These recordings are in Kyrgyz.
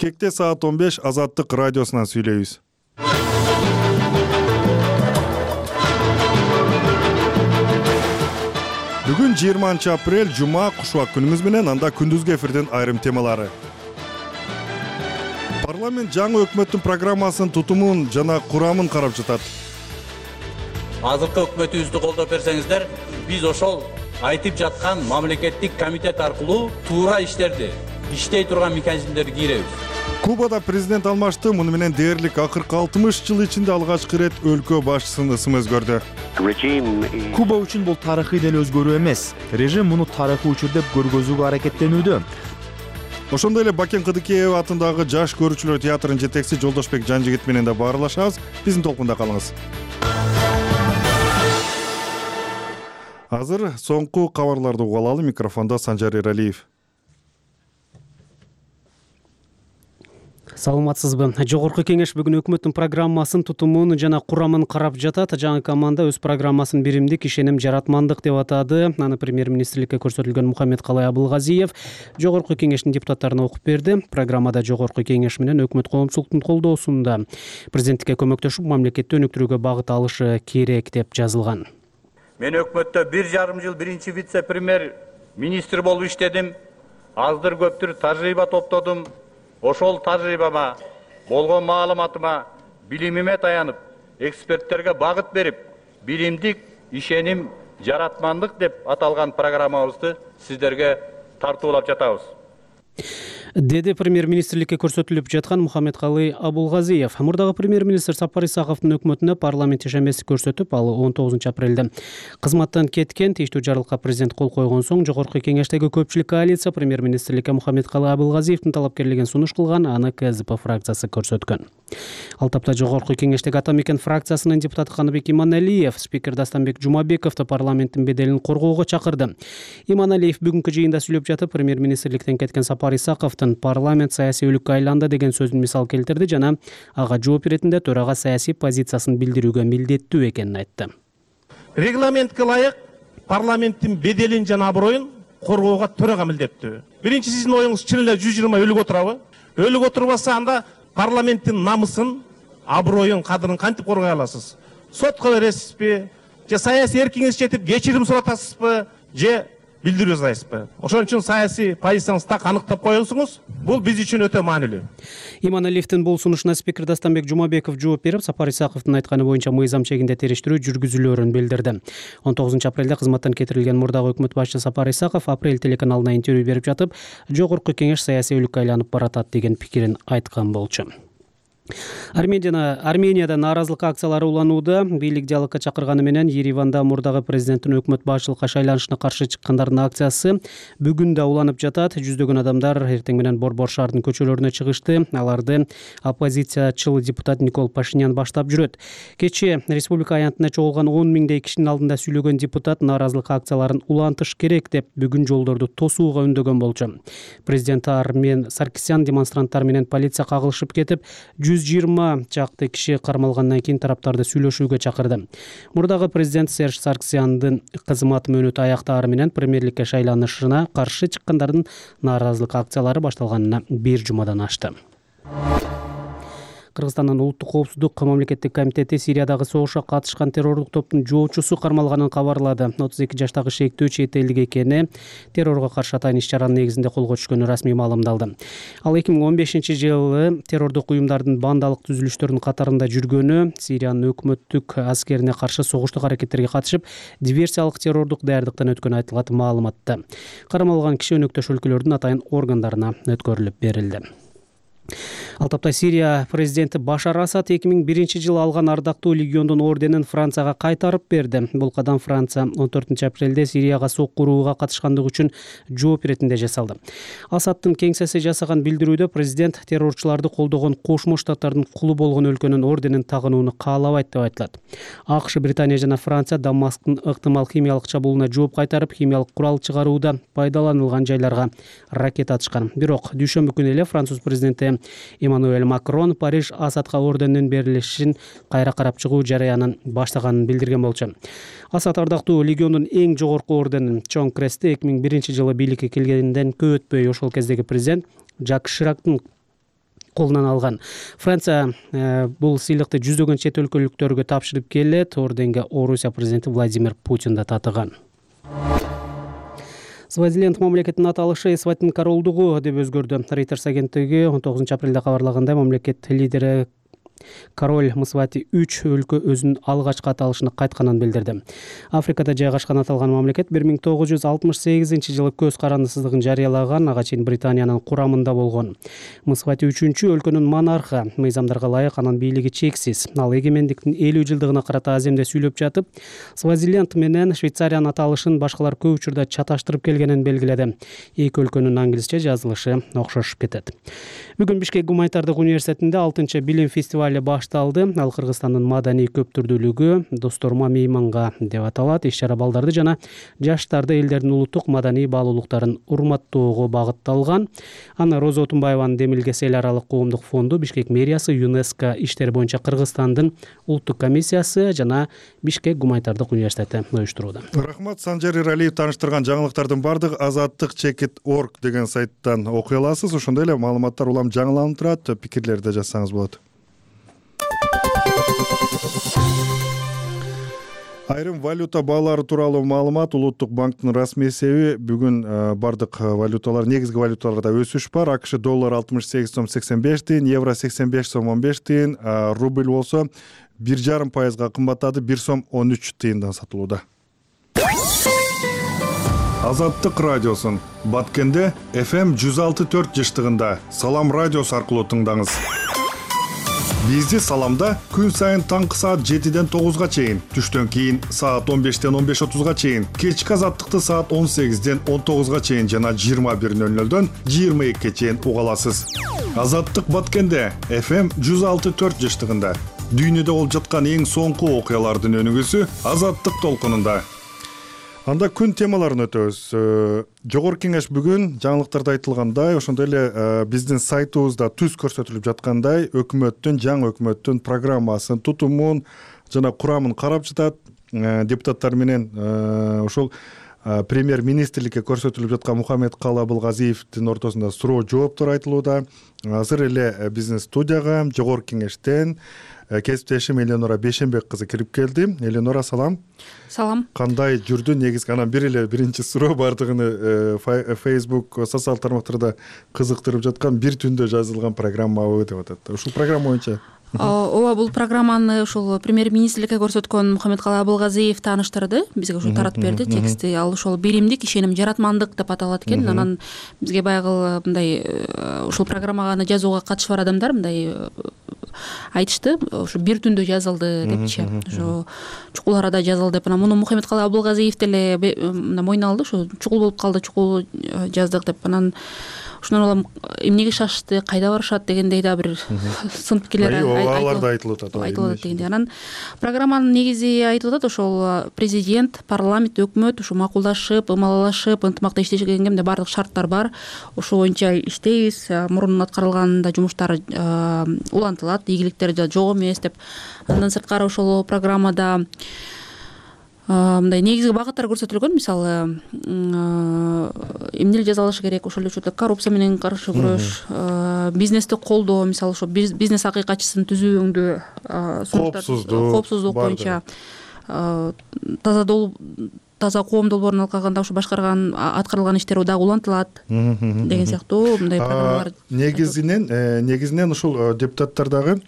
Кекте саат 15 Азаттык радиосунан сүйлөйбүз. Бүгүн 20 апрель жума, кушубак күнүңүз менен, анда күндүзгү эфирден айрым темалары. Парламент жаңы өкмөттүн программасын, тутумун жана курамын карап жатат. Азыркы өкмөтүбүздү колдоп берсеңиздер, биз ошол айтып жаткан мамлекеттик комитет аркылуу туура иштей турган механизмдерди кийребиз. Кубада президент алмашты. Муну менен дээрлик акыркы 60 жыл ичинде алгачкы ирет өлкө башчысынын ысымы өзгөрдү. Куба үчүн бул тарыхый деле өзгөрүү эмес. Режим муну тарыхый учур деп көргөзүүгө аракеттенүүдө. Ошондой эле Бакен Кыдыкеева атындагы Жаш көрүүчүлөр театрынын жетекчиси Жолдошбек Жанжигит менен да баарлашабыз. Биздин толкунда калыңыз. Азыр соңку кабарларды угуп алалы. Микрофондо Санжар Эралиев. Саламатсызбы? Жогорку кеңеш бүгүн өкмөттүн программасын, тутумун жана курамын карап жатат. Жаңы команда өз программасын биримдик, ишеним, жаратмандык деп атады. Аны премьер-министрликке көрсөтүлгөн Мухаммедкалый Абылгазиев жогорку кеңештин депутаттарына окуп берди. Программада жогорку кеңеш менен өкмөт коомчулуктун колдоосунда президенттикке көмөктөшүп, мамлекетти өнүктүрүүгө багыт алышы керек деп жазылган. Мен өкмөттө 1,5 жыл биринчи вице-премьер министр болуп иштедим. Аздыр көптүр тажрыйба топтодум. Ошол тажрыйбама, болгон маалыматыма, билимиме таянып, эксперттерге багыт берип, биримдик, ишеним, жаратмандык деп аталган программабызды сиздерге тартуулап жатабыз. Деди премьер-министрликке көрсөтүлүп жаткан Мухаммедкалый Абылгазиев. Мурдагы премьер-министр Сапар Исаковдун өкмөтүнө парламент ишенбеси көрсөтүп, ал 19 апрелде кызматтан кеткен. Тийиштүү жарлыкка президент кол койгон соң жогорку кеңештеги көпчүлүк коалиция премьер-министрликке Мухаммедкалый Абылгазиевдин талапкерлигин сунуш кылган, аны КСДП фракциясы көрсөткөн. Ал тапта жогорку кеңештеги Ата мекен фракциясынын депутаты Каныбек Иманалиев спикер Дастанбек Жумабековду парламенттин беделин коргоого чакырды. Иманалиев бүгүнкү жыйында сүйлөп жатып, премьер-министрликтен кеткен Сапар Исаковдун парламент саясий өлүккө айланды деген сөзүн мисал келтирди жана ага жооп беретинде төрага саясий позициясын билдирүүгө милдеттүү экенин айтты. Регламентке ылайык парламенттин беделин жана аброюн коргоого төрага милдеттүү. Биринчи сиздин оюңуз чын эле 120 өлүк отурабы? Өлүк отурбаса анда парламенттин намысын, аброюн, кадырын кантип коргой аласыз? Сотко бересизби? Же саясий эркиңиз жетип кечирим суратасызбы? Же билдирүү жасайсызбы? Ошон үчүн саясий позицияңызды так аныктап коюңуз. Бул биз үчүн өтө маанилүү. Иманалиевдин бул сунушуна спикер Дастанбек Жумабеков жооп берип, Сапар Исаковдун айтканы боюнча мыйзам чегинде териштирүү жүргүзүлөөрүн билдирди. 19 апрелде кызматтан кетирилген мурдагы өкмөт башчысы Сапар Исаков Апрель телеканалына интервью берип жатып, жогорку кеңеш саясий өлүккө айланып баратат деген пикирин айткан болчу. Арменияда нааразылык акциялары уланууда. Бийлик диалогко чакырганы менен Ереванда мурдагы президенттин өкмөт башчылыкка шайланышына каршы чыккандардын акциясы бүгүн да уланып жатат. Жүздөгөн адамдар эртең менен Борбор шаарынын көчөлөрүнө чыгышты. Аларды оппозициячыл депутат Никол Пашинян баштап жүрөт. Кечээ республика аянтына чогулган 10 миңдей кишинин алдында сүйлөгөн депутат нааразылык акцияларын улантыш керек деп бүгүн жолдорду тосууга үндөгөн болчу. Президент Армен Саркисян демонстранттар менен полиция кагылышып кетип, 120 чакты киши кармалгандан кийин тараптарды сүйлөшүүгө чакырды. Мурдагы президент Серж Саркисяндын кызмат мөөнөтү аяктаары менен премьерликке шайланышына каршы чыккандардын нааразылык акциялары башталганына 1 жумадан ашты. Кыргызстандын улуттук коопсуздук мамлекеттик комитети Сириядагы согушка катышкан террорлук топтун жоочусу кармалганын кабарлады. 32 жаштагы шектүү чет элдик экени, террорго каршы атайын иш-чаранын негизинде колго түшкөнү расмий маалымдалды. Ал 2015-жылы террордук уюмдардын бандалык түзүлүштөрүнүн катарында жүргөнү, Сириянын өкмөттүк аскерине каршы согуштук аракеттерге катышып, диверсиялык террордук даярдыктан өткөнү айтылат маалыматта. Кармалган киши өнөктөш өлкөлөрдүн атайын органдарына өткөрүлүп берилди. Ал тапта Сирия президенти Башар Асад 2001-жылы алган ардактуу легиондун орденин Францияга кайтарып берди. Бул кадам Франция 14 апрелде Сирияга соккурууга катышкандыгы үчүн жооп иретинде жасалды. Асадтын кеңсеси жасаган билдирүүдө президент террорчуларды колдогон Кошмо Штаттардын кулу болгон өлкөнүн орденин тагынууну каалабайт деп айтылат. АКШ, Британия жана Франция Дамасктын ыктымал химиялык чабуулуна жооп кайтарып, химиялык курал чыгарууда пайдаланылган жайларга ракета атышкан. Бирок дүйшөмбү күнү эле Француз президенти Эммануэль Макрон Париж Асадка ордендин берилишин кайра карап чыгуу жараянын баштаганын билдирген болчу. Асад ардактуу легиондун эң жогорку орденин Чоң Кресте 2001-жылы бийликке келгенден көп өтпөй ошол кездеги президент Жак Ширактын колунан алган. Франция бул сыйлыкты жүздөгөн чет өлкөлүктөргө тапшырып келет. Орденге Орусия президенти Владимир Путин да татыган. Свазиленд мамлекетинин аталышы Эсватин королдугу деп өзгөрдү. Reuters агенттиги 19 апрелде кабарлагандай, мамлекет лидери король Мсвати 3 өлкө өзүнүн алгачкы аталышына кайтканын билдирди. Африкада жайгашкан аталган мамлекет 1968-жылы көз карандысыздыгын жарыялаган, ага чейин Британиянын курамында болгон. Мсвати 3 өлкөнүн монархы, мыйзамдарга ылайык анын бийлиги чексиз. Ал эгемендиктин 50 жылдыгына карата аземде сүйлөп жатып, Свазиленд менен Швейцариянын аталышын башкалар көп учурда чаташтырып келгенин белгиледи. Эки өлкөнүн англисче жазылышы окшошуп кетет. Бүгүн Бишкек гуманитардык университетинде 6-чы билим фестивали башталды. Ал Кыргызстандын маданий көптүрдүүлүгү досторума мейманга деп аталат. Иш-чара балдарды жана жаштарды элдердин улуттук маданий баалуулуктарын урматтоого багытталган. Аны Роза Отунбаеванын демилгеси эл аралык коомдук фонду, Бишкек мэриясы, ЮНЕСКО иштери боюнча Кыргызстандын улуттук комиссиясы жана Бишкек гуманитардык университети уюштурууда. Рахмат. Санжар Иралиев тааныштырган жаңылыктардын бардыгы azattik.org деген сайттан окуй аласыз. Ошондой эле маалыматтар улам жаңыланып турат, пикирлерди жазсаңыз болот. Айрым валюта баалары тууралуу маалымат. Улуттук банктын расмий эсеби бүгүн бардык валюталар, негизги валюталарда өсүш бар. АКШ доллар 68 сом 85 тиын, евро 85 сом 15 тиын, рубль болсо 1,5% кымбаттады, 1 сом 13 тыйындан сатылууда. Азаттык радиосун Баткенде FM 106.4 жыштыгында Салам радиосу аркылуу тыңдаңыз. Бизди Саламда күн сайын таңкы саат 7-ден 9-га чейин, түштөн кийин саат 15-ден 15:30-га чейин, кечки азаттыкты саат 18-ден 19-га чейин жана 21:00-дөн 22-ге чейин уга аласыз. Азаттык Баткенде FM 106.4 жыштыгында дүйнөдө болуп жаткан эң соңку окуялардын өнүгүүсү Азаттык толкунунда. Анда күн темаларын өтөбүз. Жогорку кеңеш бүгүн жаңылыктарда айтылгандай, ошондой эле биздин сайтыбызда түз көрсөтүлүп жаткандай, жаңы өкмөттүн программасын, тутумун жана курамын карап жатат. Депутаттар менен ошол премьер-министрликке көрсөтүлүп жаткан Мухаммед Калый Абылгазиевдин ортосунда суроо жооптор айтылууда. Азыр эле биздин студияга жогорку кеңештен кесиптешим Эленора Бейшенбек кызы кирип келди. Эленора, салам. Салам. Кандай жүрдү? Негизги анан биринчи суроо бардыгыны Facebook социал тармактарда кызыктырып жаткан, бир түндө жазылган программабы деп атат. Ушул программа боюнча ооба, бул программаны ушул премьер-министрликке көрсөткөн Мухаммед Калый Абылгазиев тааныштырды, бизге ушул таратып берди текстти. Ал ошол биримдик, ишеним, жаратмандык деп аталат экен. Анан бизге баягы мындай ушул программаны жазууга катышы бар адамдар мындай айтышты, ушу бир түндө жазылды депчи. Ошо чукул арада жазылды деп. Анан муну Мухаммед Калый Абылгазиев деле мойнуна алды, ошо чукул болуп калды, чукул жаздык деп. Анан ошондон улам эмнеге шашты, кайда барышат дегендей да бир сын пикирлер айтылып атат дегендей. Анан программанын негизи айтылып атат, ошол президент, парламент, өкмөт ушу макулдашып, ымалалашып, ынтымакта иштешкенге баардык шарттар бар. Ошол боюнча иштейбиз, мурун аткарылган да жумуштар улантылат, ийгиликтер да жок эмес деп. Андан сырткары ошол программада мындай негизги багыттар көрсөтүлгөн. Мисалы, эмнели жазалышы керек, ошол эле учурда коррупция менен каршы күрөш, бизнести колдоо, мисалы ошо бизнес акыйкатчысын түзүүңдү, коопсуздук боюнча, таза коом долбоорун алкаганда ошо аткарылган иштер дагы улантылат деген сыяктуу мындай программалар. Негизинен ушул депутаттар дагы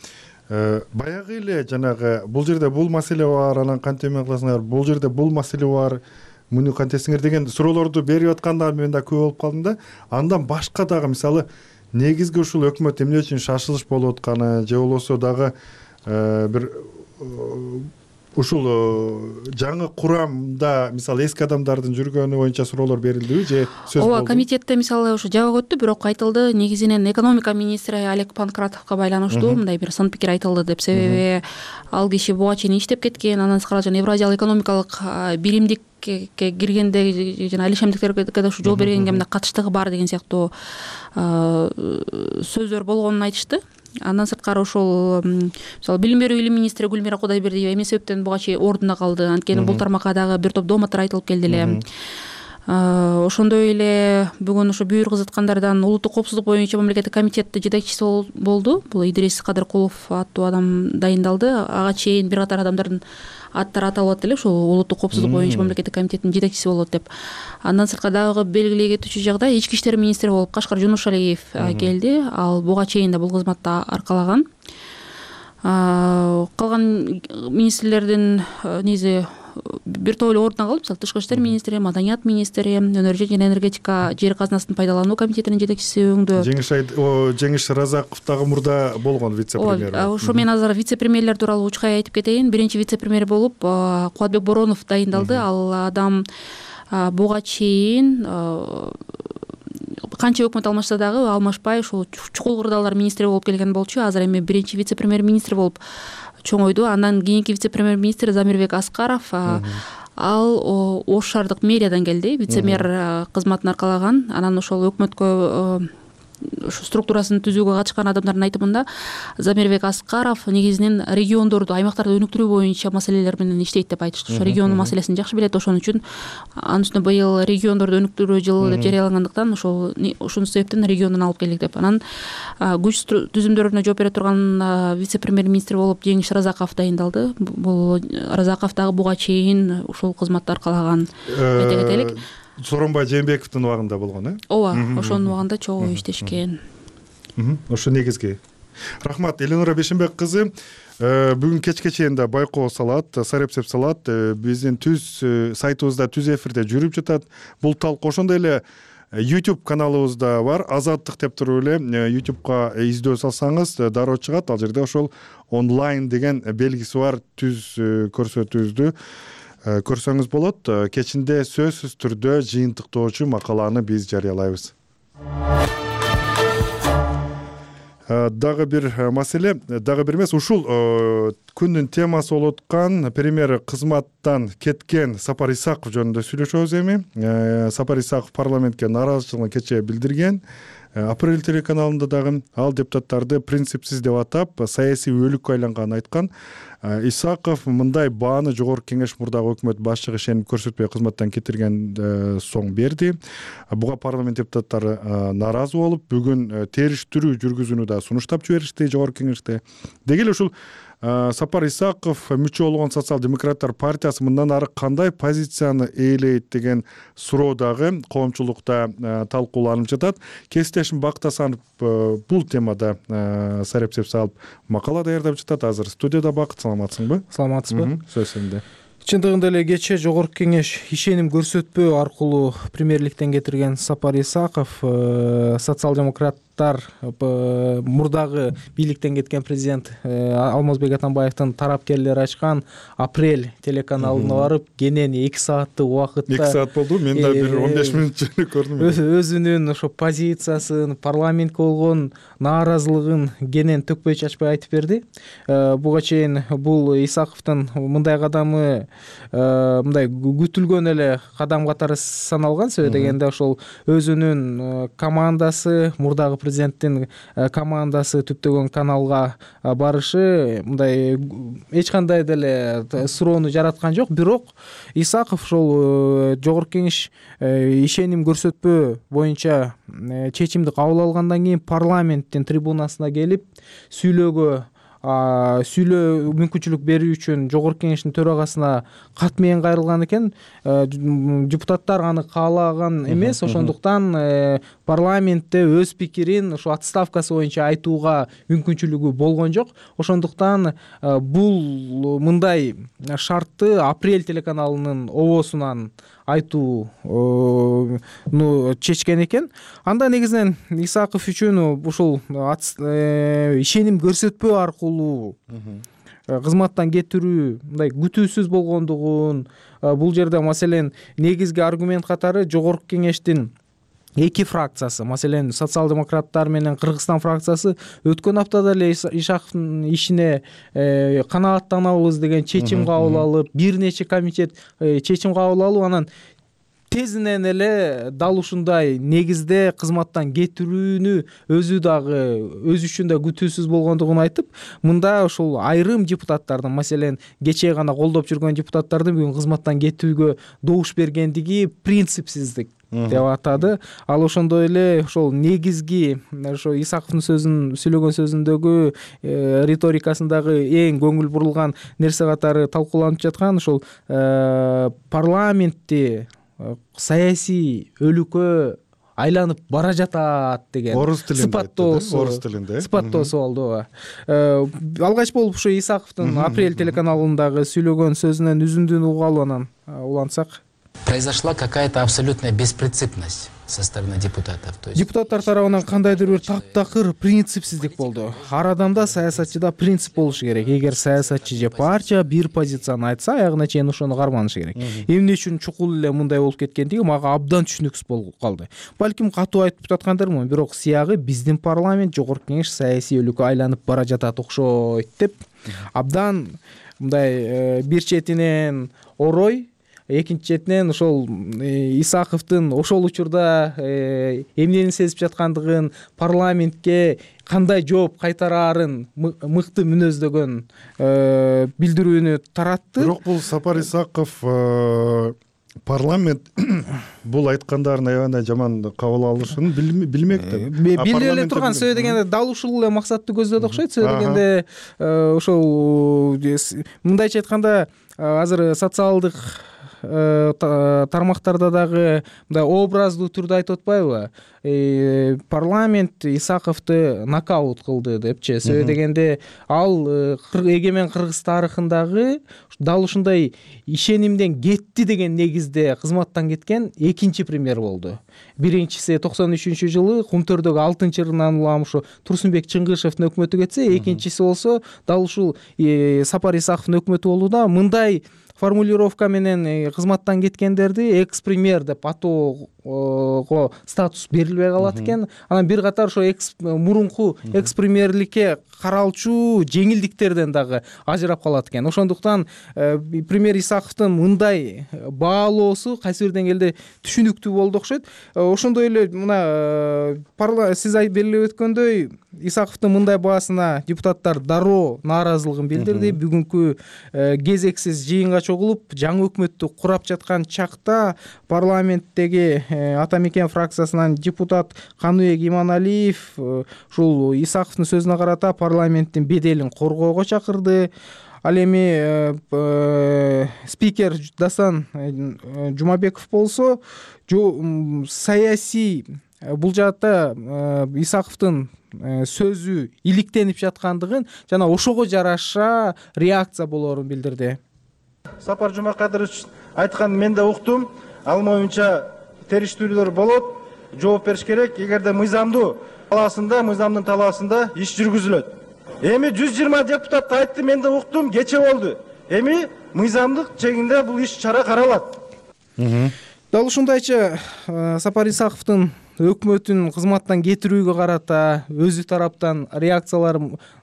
баягы эле жанагы бул жерде бул маселе бар, анан кантип эме кыласыңар, бул жерде бул маселе бар, муну кантесиңер деген суроолорду берип атканда мен да көп болуп калдым да. Андан башка дагы мисалы негизги ушул өкмөт эмне үчүн шашылыш болуп атканы же болбосо дагы бир ушул жаңы курамда мисалы эски адамдардын жүргөнү боюнча суроолор берилдиби же сөз болду? Ооба, комитетте мисалы ошо жабык өттү, бирок айтылды негизинен экономика министри Олег Панкратовго байланыштуу мындай бир сын пикир айтылды деп. Себеби ал киши буга чейин иштеп кеткен, андан сырткары жана Евразиялык экономикалык биримдикке киргенде жана алишемдиктерге да ушу жол бергенге мындай катыштыгы бар деген сыяктуу сөздөр болгонун айтышты. Андан сырткары ошол мисалы билим берүү илим министри Гүлмира Кудайбердиева эмне себептен буга чейин ордунда калды, анткени бул тармакка дагы бир топ дооматтар айтылып келди эле. Ошондой эле бүгүн ошо бүйүр кызыткандардан улуттук коопсуздук боюнча мамлекеттик комитеттин жетекчиси болду. Бул Идрис Кадыркулов аттуу адам дайындалды. Ага чейин бир катар адамдардын аттары аталып эле ушул улуттук коопсуздук боюнча мамлекеттик комитеттин жетекчиси болот деп. Андан сырткары дагы белгилей кетүүчү жагдай Ички иштер министри болуп Кашкар Жунушалиев келди. Ал буга чейин да бул кызматты аркалаган. Калган министрлердин негизи бир топ эле ордуна калып, мисалы Тышкы иштер министри, Маданият министри, Өнөр жана энергетика жер казынасын пайдалануу комитетинин жетекчиси өңдө. Жеңиш Разаков дагы мурда болгон вице-премьер. Ошо мен азыр вице-премьерлер тууралуу учкай айтып кетейин. Биринчи вице-премьер болуп Кубатбек Боронов дайындалды. Ал адам буга чейин канча өкмөт алмашса дагы алмашпай ушул чукул кырдаалар министри болуп келген болчу. Азыр эми биринчи вице-премьер министр болуп чоңойду. Андан кийинки вице-премьер министр Замирбек Аскаров, ал Ош шаардык мэриядан келди, вице-мэр кызматын аркалаган. Анан ошол өкмөткө структурасын түзүүгө катышкан адамдардын айтымында Замирбек Аскаров негизинен региондорду, аймактарды өнүктүрүү боюнча маселелер менен иштейт деп айтышты. Ошо региондун маселесин жакшы билет. Ошон үчүн анын үстүнө быйыл региондорду өнүктүрүү жылы деп жарыялангандыктан ошол себептен региондон алып келдик деп. Анан күч түзүмдөрүнө жооп бере турган вице-премьер министр болуп Жеңиш Разаков дайындалды. Бул Разаков дагы буга чейин ушул кызматты аркалаган. Айта кетелик. Сооронбай Жээнбековдун убагында болгон, ооба, ошонун убагында чогуу иштешкен. Ошо негизги. Рахмат, Эленора Бешенбек кызы. Бүгүн кечке чейин да байкоо салат, Сарепсеп салат биздин түз сайтыбызда түз эфирде жүрүп жатат. Бул талкуу ошондой эле YouTube каналыбызда бар. Азаттык деп туруп эле YouTubeга издөө салсаңыз дароо чыгат. Ал жерде ошол онлайн деген белгиси бар түз көрсөтүүбүздү көрсөңүз болот. Кечинде сөзсүз түрдө жыйынтыктоочу макаланы биз жарыялайбыз. Дагы бир маселе, дагы бир эмес, ушул күндүн темасы болуп аткан премьер кызматтан кеткен Сапар Исаков жөнүндө сүйлөшөбүз эми. Сапар Исаков парламентке нааразычылыгын кечээ билдирген. Апрель телеканалында дагы ал депутаттарды принципсиз деп атап, саясий өлүккө айланганын айткан. Исаков мындай бааны жогорку кеңеш мурдагы өкмөт башчыгы ишенип көрсөтпөй кызматтан кетирген соң берди. Буга парламент депутаттары нааразы болуп, бүгүн териштирүү жүргүзүүнү да сунуштап жиберишти жогорку кеңеште. Деги эле ушул Сапар Исаков мүчө болгон Социал-демократтар партиясы мындан ары кандай позицияны ээлейт деген суроо дагы коомчулукта талкууланып жатат. Кесиптешим Бакыт Асанов бул темада Сарепсеп салып макала даярдап жатат. Азыр студияда Бакыт, саламатсыңбы? Саламатсызбы? Сөз сенде. Чындыгында эле кечээ жогорку кеңеш ишеним көрсөтпөө аркылуу премьерликтен кетирген Сапар Исаков социал-демократтар мурдагы бийликтен кеткен президент Алмазбек Атамбаевдин тарапкерлери ачкан Апрель телеканалына барып кенен 2 сааттык убакытта 2 саат болду. Мен да бир 15 мүнөт жөнү көрдүм. Өзүнүн ошо позициясын, парламентке болгон нааразылыгын кенен төкпөй чачпай айтып берди. Буга чейин бул Исаковдун мындай кадамы мындай күтүлгөн эле кадам катары саналган. Себеби дегенде ошол өзүнүн командасы, мурдагы президенттин командасы түптөгөн каналга барышы мындай эч кандай деле суроону жараткан жок. Бирок Исаков ошол жогорку кеңеш ишеним көрсөтпөө боюнча чечимди кабыл алгандан кийин парламенттин трибунасына келип сүйлөөгө мүмкүнчүлүк берүү үчүн жогорку кеңештин төрагасына кат менен кайрылган экен. Депутаттар аны каалаган эмес, ошондуктан парламентте өз пикирин ошо отставкасы боюнча айтууга мүмкүнчүлүгү болгон жок. Ошондуктан бул мындай шартты Апрель телеканалынын обосунан айтууну чечкен экен. Анда негизинен Исаков үчүн ушул ишеним көрсөтпөө аркылуу кызматтан кетирүү мындай күтүүсүз болгондугун, бул жерде маселен негизги аргумент катары жогорку кеңештин 2 фракциясы, маселен социал-демократтар менен Кыргызстан фракциясы өткөн аптада эле Исаковдун ишине канааттанабыз деген чечим кабыл алып, бир нече комитет чечим кабыл алып, анан тезинен эле дал ушундай негизде кызматтан кетирүүнү өзү дагы өз үчүн да күтүүсүз болгондугун айтып, мында ошол айрым депутаттардын, маселен кечээ гана колдоп жүргөн депутаттардын бүгүн кызматтан кетүүгө добуш бергендиги принципсиздик деп атады. Ал ошондой эле ошол негизги ошо Исаковдун сүйлөгөн сөзүндөгү риторикасындагы эң көңүл бурулган нерсе катары талкууланып жаткан ошол парламентти саясий өлүккө айланып бара жатат деген сыпаттоосу болду. Алгач болуп ошо Исаковдун Апрель телеканалындагы сүйлөгөн сөзүнөн үзүндүн угуп анан улантсак. Произошла какая-то абсолютная беспринципность со стороны депутатов. Депутаттар тарабынан кандайдыр бир таптакыр принципсиздик болду. Ар адамда, саясатчыда принцип болушу керек. Эгер саясатчы же партия бир позицияны айтса, аягына чейин ошону карманышы керек. Эмне үчүн чукул эле мындай болуп кеткендиги мага абдан түшүнүксүз болуп калды. Балким катуу айтып жаткандырмын, бирок сиягы биздин парламент, жогорку кеңеш саясий өлүккө айланып бара жатат окшойт деп абдан мындай бир четинен орой, экинчи четинен ошол Исаковдун ошол учурда эмнени сезип жаткандыгын, парламентке кандай жооп кайтараарын мыкты мүнөздөгөн билдирүүнү таратты. Бирок бул Сапар Исаков парламент бул айткандарын аябай жаман кабыл алышын билмекти. Биле эле турган сөйдөгөндө дал ушул эле максатты көздөдү окшойт. Сөйдөгөндө ошол мындайча айтканда азыр социалдык тармактарда дагы мындай образдуу түрдө айтып атпайбы? Парламент Исаковду нокаут кылды депчи. Себеби дегенде ал эгемен Кыргыз тарыхындагы дал ушундай ишенимден кетти деген негизде кызматтан кеткен экинчи премьер болду. Биринчиси 93-жылы Кумтөрдөгү 6-ырынан улам ушу Турсунбек Чыңгышевдин өкмөтү кетсе, экинчиси болсо дал ушул Сапар Исаковдун өкмөтү болууда. Мындай формулировка менен кызматтан кеткендерди экс-премьер деп атоого статус берилбей калат экен. Анан бир катар ошо мурунку экс-премьерликке каралчу жеңилдиктерден дагы ажырап калат экен. Ошондуктан премьер Исаковдун мындай баалоосу кайсы бир деңгээлде түшүнүктүү болду окшойт. Ошондой эле мына сиз белгилеп өткөндөй Исаковдун мындай баасына депутаттар дароо нааразылыгын билдирди. Бүгүнкү кезексиз жыйынга чогулуп, жаңы өкмөттү курап жаткан чакта парламенттеги Ата Мекен фракциясынан депутат Каныбек Иманалиев ушул Исаковдун сөзүнө карата парламенттин беделин коргоого чакырды. Ал эми спикер Дасан Жумабеков болсо саясий бул жаатта Исаковдун сөзү иликтенип жаткандыгын жана ошого жараша реакция болоорун билдирди. Сапар Жумакадырович айтканын мен да уктум. Ал моюнча териштирүүлөр болот, жооп бериш керек. Эгерде мыйзамдын талаасында иш жүргүзүлөт. Эми 120 депутат айтты, мен да уктум, кече болду. Эми мыйзамдык чегинде бул иш чара каралат. Дал ушундайча Сапар Исаковдун өкмөтүн кызматтан кетирүүгө карата өзү тараптан реакциялар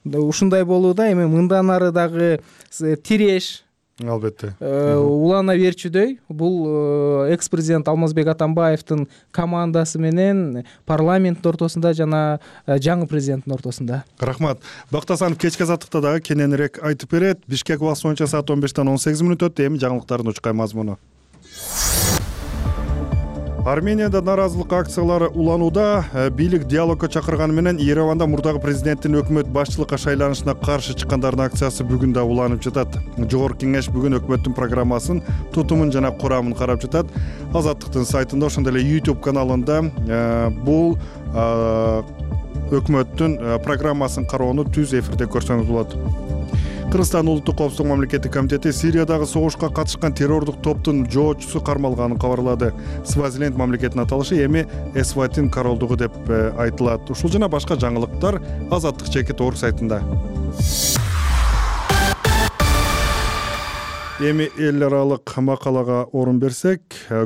ушундай болууда. Эми мындан ары дагы тиреш албетте улана берчүдөй. Бул экс-президент Алмазбек Атамбаевдин командасы менен парламенттин ортосунда жана жаңы президенттин ортосунда. Рахмат. Бактасанов кечки азаттыкта дагы кененирээк айтып берет. Бишкек убакыты боюнча саат 15-тен 18 мүнөт өттү. Эми жаңылыктардын учкай мазмуну. Арменияда наразылык акциялары уланууда. Бийлик диалогко чакырганы менен Ереванда мурдагы президенттин өкмөт башчылыкка шайланышына каршы чыккандардын акциясы бүгүн да уланып жатат. Жогорку кеңеш бүгүн өкмөттүн программасын, тутумун жана курамын карап жатат. Азаттыктын сайтында, ошондой эле YouTube каналында бул өкмөттүн программасын кароону түз эфирде көрсөңүз болот. Кыргызстан Улуттук коопсуздук мамлекеттик комитети Сириядагы согушка катышкан террордук топтун жоочусу кармалганын кабарлады. Свазиленд мамлекетинин аталышы эми Эсватин королдугу деп айтылат. Ушул жана башка жаңылыктар Азаттык чекит.org сайтында. Эми эл аралык макалага орун берсек,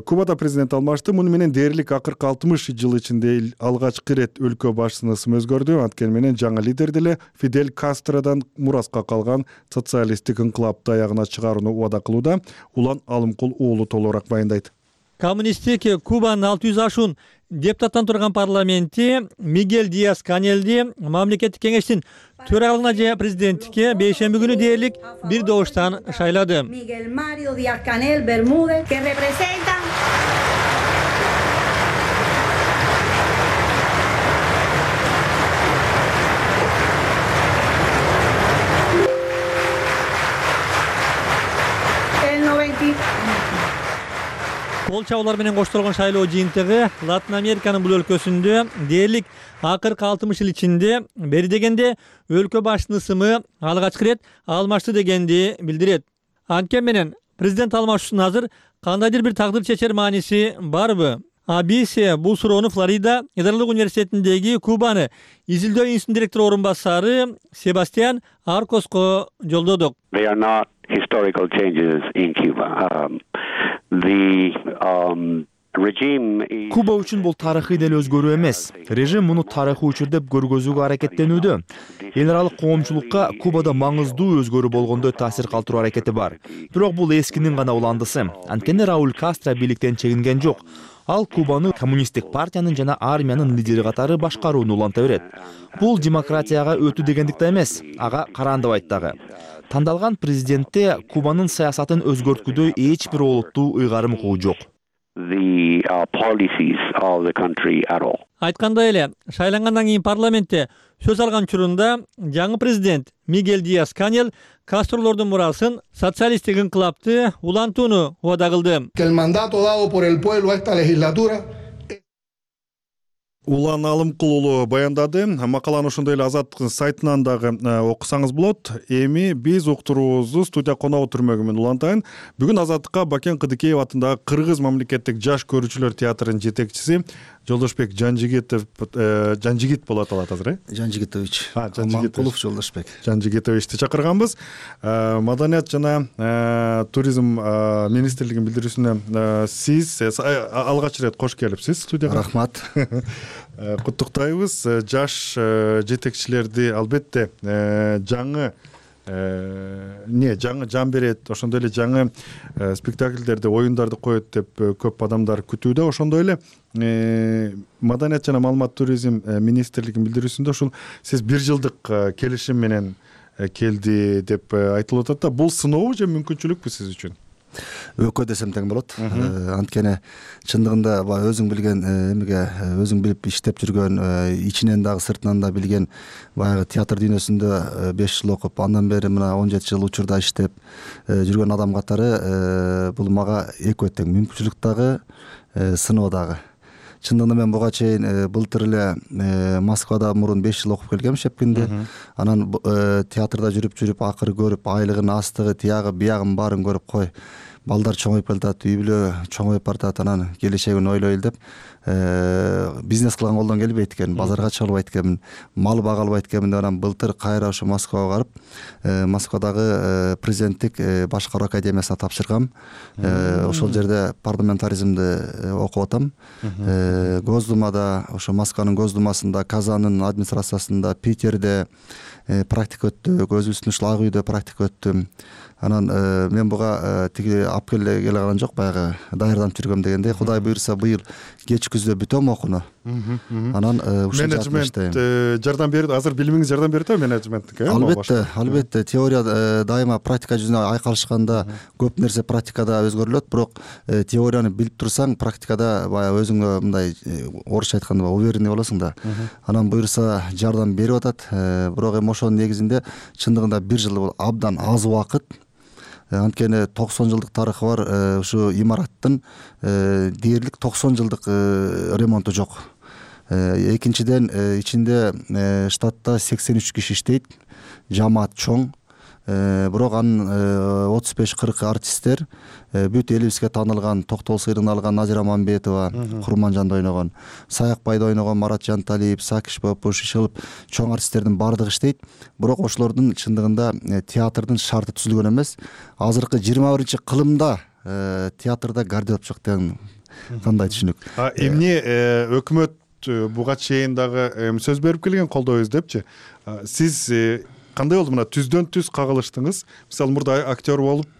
Кубада президент алмашты. Муну менен дээрлик акыркы 60 жыл ичинде алгачкы ирет өлкө башчысынын ысымы өзгөрдү. Анткени менен жаңы лидер деле Фидель Кастродан мураска калган социалисттик инкылапты аягына чыгарууну убада кылууда. Улан Алымкул уулу толугураак баяндайт. коммунисттик Кубанын 600 ашуун депутаттан турган парламенти Мигель Диас Канелди мамлекеттик кеңештин төрагалыгына же президенттикке бейшемби күнү дээрлик бир добуштан шайлады. Miguel Mario Díaz Canel Bermúdez, que representan el 90. Кол чабуулар менен коштолгон шайлоо жыйынтыгы Латын Американын бул өлкөсүндө дээрлик акыркы 60 жыл ичинде бери дегенде өлкө башчынын ысымы алгачкы ирет алмашты дегенди билдирет. Анткени менен президент алмашуусунун азыр кандайдыр бир тагдыр чечер мааниси барбы? Биз бул суроону Флорида Федералдык университетиндеги Кубаны изилдөө институтунун директору орун басары Себастьян Аркоско жолдодук. They are not historical changes in Cuba. Куба үчүн бул тарыхый деле өзгөрүү эмес. Режим муну тарыхый учур деп көргөзүүгө аракеттенүүдө. Эл аралык коомчулукка Кубада маңыздуу өзгөрүү болгондой таасир калтыруу аракети бар. Бирок бул эскинин гана уландысы. Анткени Рауль Кастро бийликтен чегинген жок. Ал Кубаны коммунисттик партиянын жана армиянын лидери катары башкарууну уланта берет. Бул демократияга өтүү дегендик да эмес, ага караандабайт дагы. Тандалган президентте Кубанын саясатын өзгөрткүдөй эч бир олуттуу ыйгарым куу жок. Айткандай эле, шайлангандан кийин парламентте сөз алган учурунда жаңы президент Мигель Диас Канел Кастролордун мурасын социалисттик инкылапты улантууну убада кылды. Улан Алымкулуулу баяндады. Макаланы ошондой эле Азаттыктын сайтынан дагы окусаңыз болот. Эми биз уктуруубузду студия коногу түрмөгү менен улантайын. Бүгүн Азаттыкка Бакен Кыдыкеев атындагы Кыргыз мамлекеттик жаш көрүүчүлөр театрынын жетекчиси Жолдошбек Жанжигит болот алат азыр, э? Жанжигитович. Аманкулов Жолдошбек. Жанжигитовичти чакырганбыз. Маданият жана туризм министрлигинин билдирүүсүнө сиз алгач ирет кош келипсиз студияга. Рахмат. Куттуктайбыз. Жаш жетекчилерди албетте жаңы жан берет, ошондой эле жаңы спектакльдерди, оюндарды коет деп көп адамдар күтүүдө. Ошондой эле Маданият жана маалымат туризм министрлигинин билдирүүсүндө ушул сиз 1 жылдык келишим менен келди деп айтылып атат да. Бул сынообу же мүмкүнчүлүкпү сиз үчүн? Өкө десем тең болот. Анткени чындыгында өзүң билген эмеге өзүң билип иштеп жүргөн, ичинен дагы сыртынан да билген баягы театр дүйнөсүндө 5 жыл окуп, андан бери мына 17 жыл учурда иштеп жүргөн адам катары бул мага экөө тең, мүмкүнчүлүк дагы, сыноо дагы. Чындыгында мен буга чейин былтыр эле Москвада мурун 5 жыл окуп келгем Шепкинде. Анан театрда жүрүп акыры көрүп, айлыгын, астыгы, тиягы, биягын баарын көрүп кой. Балдар чоңоюп келатат, үй бүлө чоңоюп баратат, анан келечегин ойлойлу деп бизнес кылган колдон келбейт экен, базарга чыга албайт экенмин, мал бага албайт экенмин деп анан былтыр кайра ошо Москвага барып, Москвадагы президенттик башкаруу академиясына тапшыргам. Ошол жерде парламентаризмди окуп атам. Госдумада, ошо Москванын Госдумасында, Казанын администрациясында, Питерде практика өттү, өзүбүздүн ушул ак үйдө практика өттүм. Анан мен буга тиги алып келе калган жок, баягы даярданып жүргөм дегенде, Кудай буйрса быйыл кеч күздө бүтөм окууну. Анан ушул менеджмент жардам берет, азыр билимиңиз жардам берет да менеджменттикке? Албетте, теория дайыма практика жүзүнө айкалышканда көп нерсе практикада өзгөрүлөт, бирок теорияны билип турсаң, практикада баягы өзүңө мындай орусча айтканда уверенный болосуң да. Анан буйрса жардам берип атат, бирок эми ошонун негизинде чындыгында 1 жыл бул абдан аз убакыт. Анткени 90 жылдык тарыхы бар ушу имараттын дээрлик 90 жылдык ремонту жок. Экинчиден ичинде штатта 83 киши иштейт, жамаат чоң. Бирок анын 35-40 артисттер, бүт элибизге таанылган Токтол сыйрын алган Назира Мамбетова, Курманжанда ойногон, Саякбайда ойногон Марат Жанталиев, Сакиш Бапуш, Ишылып чоң артисттердин баардыгы иштейт. Бирок ошолордун чындыгында театрдын шарты түзүлгөн эмес. Азыркы 21-кылымда театрда гардероб жок деген кандай түшүнүк? Эмне өкмөт буга чейин дагы сөз берип келген, колдоо издепчи. Сиз кандай болду мына түздөн түз кагылыштыңыз? Мисалы мурда актер болуп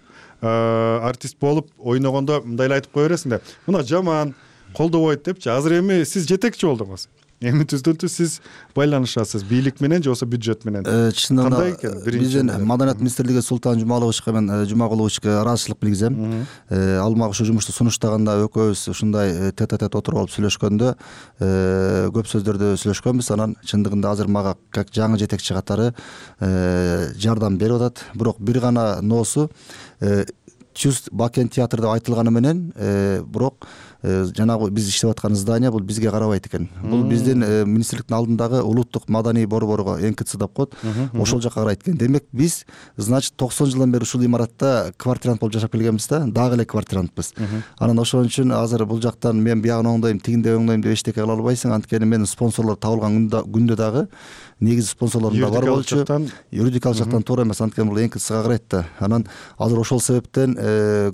артист болуп ойногондо мындай эле айтып кое бересиң да, мына жаман колдобойт депчи. Азыр эми сиз жетекчи болдуңуз. Эми түздөн-түз сиз байланышасыз бийлик менен же болбосо бюджет менен. Кандай экен? Бизден Маданият министрлиги Султан Жумаловичке мен Жумагуловичке ыраазычылык билгизем. Ал мага ушу жумушту сунуштаганда экөөбүз ушундай тет-а-тет отуруп алып сүйлөшкөндө көп сөздөрдү сүйлөшкөнбүз. Анан чындыгында азыр мага как жаңы жетекчи катары жардам берип атат. Бирок бир гана ноосу чувств Бакен театры деп айтылганы менен бирок жанагы биз иштеп аткан здание бул бизге карабайт экен. Бул биздин министрликтин алдындагы улуттук маданий борборго НКЦ деп коет. Ошол жака карайт экен. Демек биз, значит, 90 жылдан бери ушул имаратта квартирант болуп жашап келгенбиз да, дагы эле квартирантпыз. Анан ошон үчүн азыр бул жактан мен биягын оңдойм, тигинде оңдойм деп эчтеке кыла албайсың. Анткени менин спонсорлор табылган күндө дагы негизи спонсорлорум да бар болчу. Юридикалык жактан туура эмес, анткени бул НКЦга карайт да. Анан азыр ошол себептен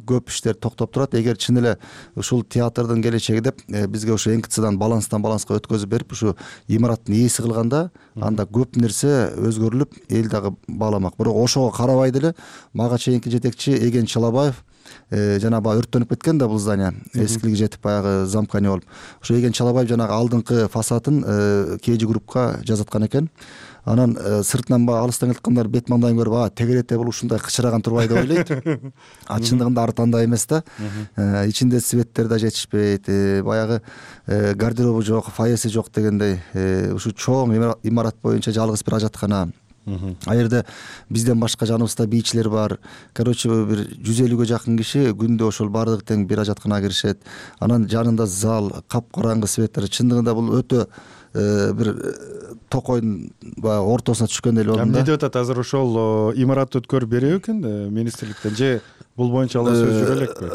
көп иштер токтоп турат. Эгер чын эле ушул театрдын келечеги деп бизге ушу НКЦдан баланска өткөзүп берип ушу имараттын ээси кылганда, анда көп нерсе өзгөрүлүп, эл дагы бааламак. Бирок ошого карабай деле мага чейинки жетекчи Эген Чалабаев жана баягы өрттөнүп кеткен да бул здание, эскилиги жетип баягы замканя болуп. Ошо Эген Чалабаев жанагы алдыңкы фасадын KG группка жазаткан экен. Анан сыртынан баягы алыстан келаткандар бет маңдайын көрүп, тегерете бул ушундай кычыраган турбай деп ойлойт. Чындыгында ары тандай эмес да. Ичинде светтер да жетишпейт, баягы гардеробу жок, фойеси жок дегендей. Ушу чоң имарат боюнча жалгыз бир ажаткана. А жерде бизден башка жаныбызда бийчилер бар. Короче, бир 150-ге жакын киши күндө ошол бардыгы тең бир ажатканага киришет. Анан жанында зал, капкараңгы светтер. Чындыгында бул өтө бир токойдун баягы ортосуна түшкөндөй эле болду да. Эмне деп атат азыр ошол имаратты өткөрүп бериби экен министрликтен же бул боюнча алар сөз жүрө элекпи?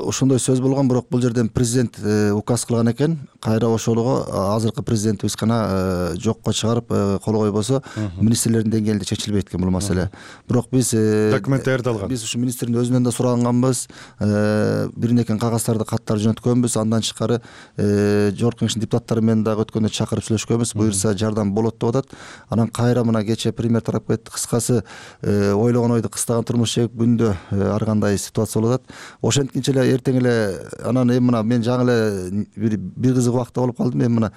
Ошондой сөз болгон, бирок бул жерден президент указ кылган экен. Кайра ошолго азыркы президентибиз гана жокко чыгарып кол койбосо министрлердин деңгээлинде чечилбейт экен бул маселе. Бирок биз документ даярдалган. Биз ушу министрдин өзүнөн да сураганбыз. Бир-неке кагаздарды каттар жөнөткөнбүз. Андан тышкары жогорку кеңештин депутаттары менен дагы өткөндө чакырып сүйлөшкөнбүз. Буюрса жардам болот деп атат. Анан кайра мына кече премьер тарап кетти. Кыскасы ойлогон ойду кыстаган турмуш жегип күндө ар кандай ситуация болуп атат. Ошенткинче эле эртең эле анан эми мына мен жаңы эле бир кызык убакта болуп калдым. Эми мына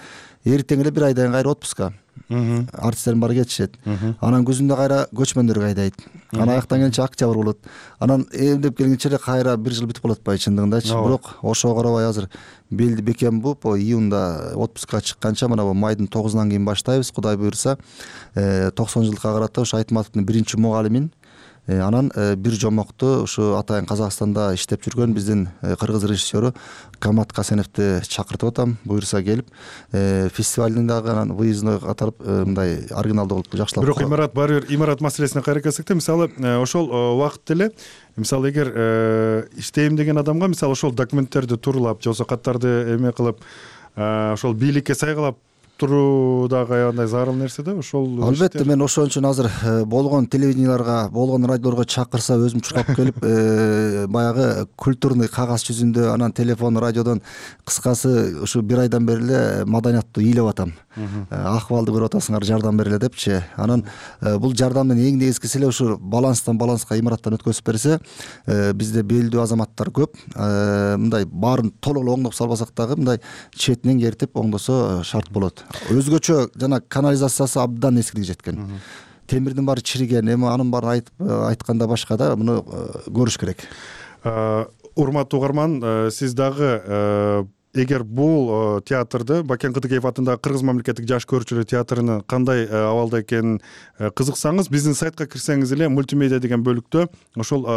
эртең эле бир айдан кайра отпуска. Артисттердин баары кетишет. Анан күзүндө кайра көчмөндөр айдайт. Анан аяктан келинче октябрь болот. Анан эмдеп келгенче эле кайра бир жыл бүтүп калат атпайбы чындыгындачы. Бирок ошого карабай азыр белди бекем буп, июнда отпускка чыкканча мына майдын 9-унан кийин баштайбыз. Кудай буйрса 90 жылдыкка карата ушу Айтматовдун биринчи мугалимин анан бир жомокту ушу атайын Казакстанда иштеп жүргөн биздин кыргыз режиссеру Камат Касеновду чакыртып атам. Буйрса келип фестивалдын дагы анан выездной катарып мындай оригиналдуу кылып жакшылап. Бирок имарат баары бир имарат маселесине кайра келсек да, мисалы ошол убакытта эле мисалы эгер иштейм деген адамга мисалы ошол документтерди тууралап же болбосо каттарды эме кылып ошол бийликке сайгалап туруу дагы аябай зарыл нерсе да ошол. Албетте мен ошон үчүн азыр болгон телевиденияларга, болгон радиолорго чакырса өзүм чуркап келип баягы культурный кагаз жүзүндө анан телефон, радиодон кыскасы ушу бир айдан бери эле маданиятты ыйлап атам. Акыбалды көрүп атасыңар, жардам бергиле депчи. Анан бул жардамдын эң негизгиси эле ушу баланстан баланска имараттан өткөзүп берсе, бизде белдүү азаматтар көп. Мындай баарын толук оңдоп салбасак дагы мындай четинен кертип оңдосо шарт болот. Өзгөчө жана канализациясы абдан эскилиги жеткен. Темирдин баары чириген, эми анын баарын айтканда башка да муну көрүш керек. Урматтуу угарман, сиз дагы эгер бул театрды Бакен Кытыкеев атындагы Кыргыз мамлекеттик жаш көрүүчүлөр театрынын кандай абалда экенин кызыксаңыз, биздин сайтка кирсеңиз эле мультимедиа деген бөлүктө ошол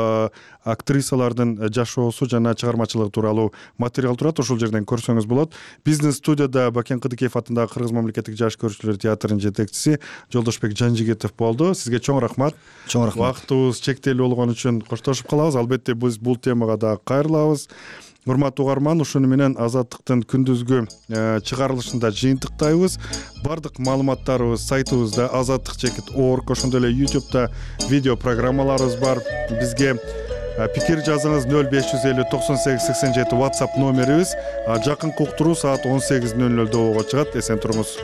актрисалардын жашоосу жана чыгармачылыгы тууралуу материал турат. Ошол жерден көрсөңүз болот. Биздин студияда Бакен Кытыкеев атындагы Кыргыз мамлекеттик жаш көрүүчүлөр театрынын жетекчиси Жолдошбек Жанжигитов болду. Сизге чоң рахмат. Чоң рахмат. Убактыбыз чектелүү болгон үчүн коштошуп калабыз. Албетте биз бул темага дагы кайрылабыз. Урматтуу угарман, ушуну менен Азаттыктын күндүзгү чыгарылышында жыйынтыктайбыз. Бардык маалыматтарыбыз сайтыбызда azattik.org, ошондой эле YouTube'да видео программаларыбыз бар. Бизге пикир жазыңыз 0550 98 87 WhatsApp номерибиз. Жакынкы уктуруу саат 18:00 болго чыгат. Эсен туруңуз.